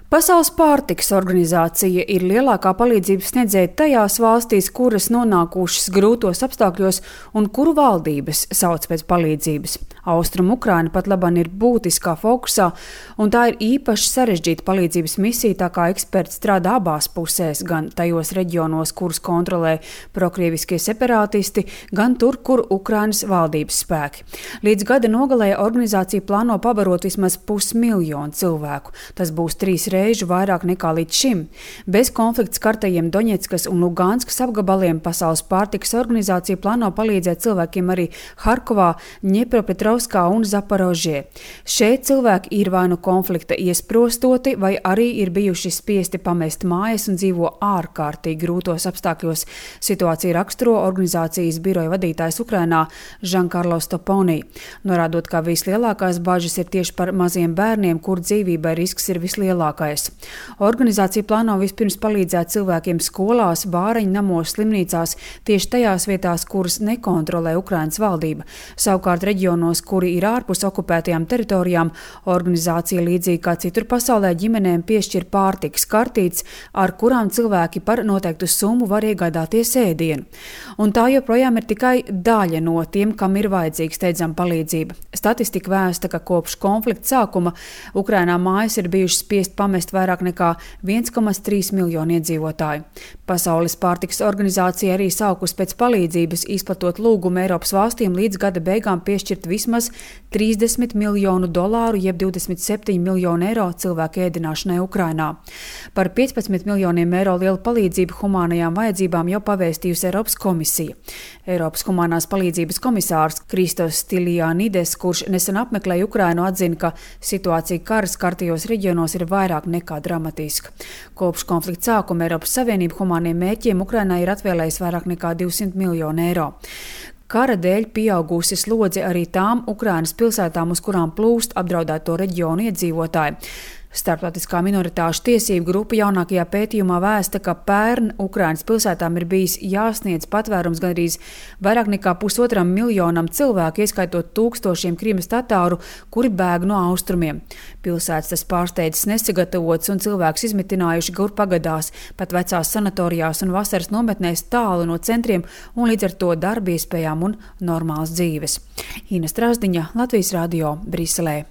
Pasaules pārtikas organizācija ir lielākā palīdzības sniedzēja tajās valstīs, kuras nonākušas grūtos apstākļos un kuru valdības sauc pēc palīdzības. Austrumu Ukraina pat labāk ir būtiskā fokusā, un tā ir īpaši sarežģīta palīdzības misija, tā kā eksperti strādā abās pusēs, gan tajos reģionos, kurus kontrolē prokrieviskie separātisti, gan tur, kur Ukrainas valdības spēki. Līdz gada nogalē organizācija plāno pabarot vismaz 500 000 cilvēku. Tas būs 3 reižu vairāk nekā līdz šim. Bez konflikta skartajiem Doņetskas un Luganskas apgabaliem Pasaules pārtikas organizācija plāno palīdzēt cilvēkiem arī Harkovā, Ņepropetrovskā un Zaporožjē. Šeit cilvēki ir vai nu konflikta iesprostoti, vai arī ir bijuši spiesti pamest mājas un dzīvo ārkārtīgi grūtos apstākļos. Situācija raksturo organizācijas biroja vadītājs Ukrainā Žankarlo Stoponī, norādot, ka vislielākās bažas ir tieši par maziem bērniem, kur dzīvībai risks ir vislielākais. Organizācija plāno vispirms palīdzēt cilvēkiem skolās, bāreņu namos, slimnīcās, tieši tajās vietās, kuras nekontrolē Ukrainas valdība. Savukārt reģionos, kuri ir ārpus okupētajām teritorijām, organizācija līdzīgi kā citur pasaulē ģimenēm piešķir pārtikas kartītes, ar kurām cilvēki par noteiktu summu var iegādāties ēdienu. Un tā joprojām ir tikai daļa no tiem, kam ir vajadzīga steidzama palīdzība. Statistika vēsta, ka kopš konflikta sākuma Ukrainā mājas ir bijušas spiest pamest vairāk nekā 1,3 miljonu iedzīvotāju. Pasaules pārtikas organizācija arī saukus pēc palīdzības, izplatot lūgumu Eiropas valstīm līdz gada beigām piešķirt vismaz $30 miljonu, jeb 27 miljonu eiro cilvēku ēdināšanai Ukrainā. Par 15 miljoniem eiro lielu palīdzību humānajām vajadzībām jau pavēstījusi Eiropas komisija. Eiropas humānās palīdzības komisārs Kristos Stylianides, kurš nesen apmeklēja Ukrainu, atzina, ka situācija kara skartajos reģionos ir vairāk nekā dramatiska. Kopš konflikta sākuma Eiropas Savienība humāniem mērķiem Ukrainai ir atvēlējusi vairāk nekā 200 miljonu eiro. Kara dēļ pieaugusi slodze arī tām Ukrainas pilsētām, uz kurām plūst apdraudēto reģionu iedzīvotāji. Starptautiskā minoritāšu tiesību grupa jaunākajā pētījumā vēsta, ka pērn Ukrainas pilsētām ir bijis jāsniedz patvērums gandrīz vairāk nekā 1,5 miljonam cilvēku, ieskaitot tūkstošiem Krimas tatāru, kuri bēg no austrumiem. Pilsētas tas pārsteidzis nesagatavots un cilvēks izmitinājuši gur pagadās, pat vecās sanatorijās un vasaras nometnēs tālu no centriem un līdz ar to darba iespējām un normālas dzīves. Ina Strasdiņa, Latvijas radio, Briselē.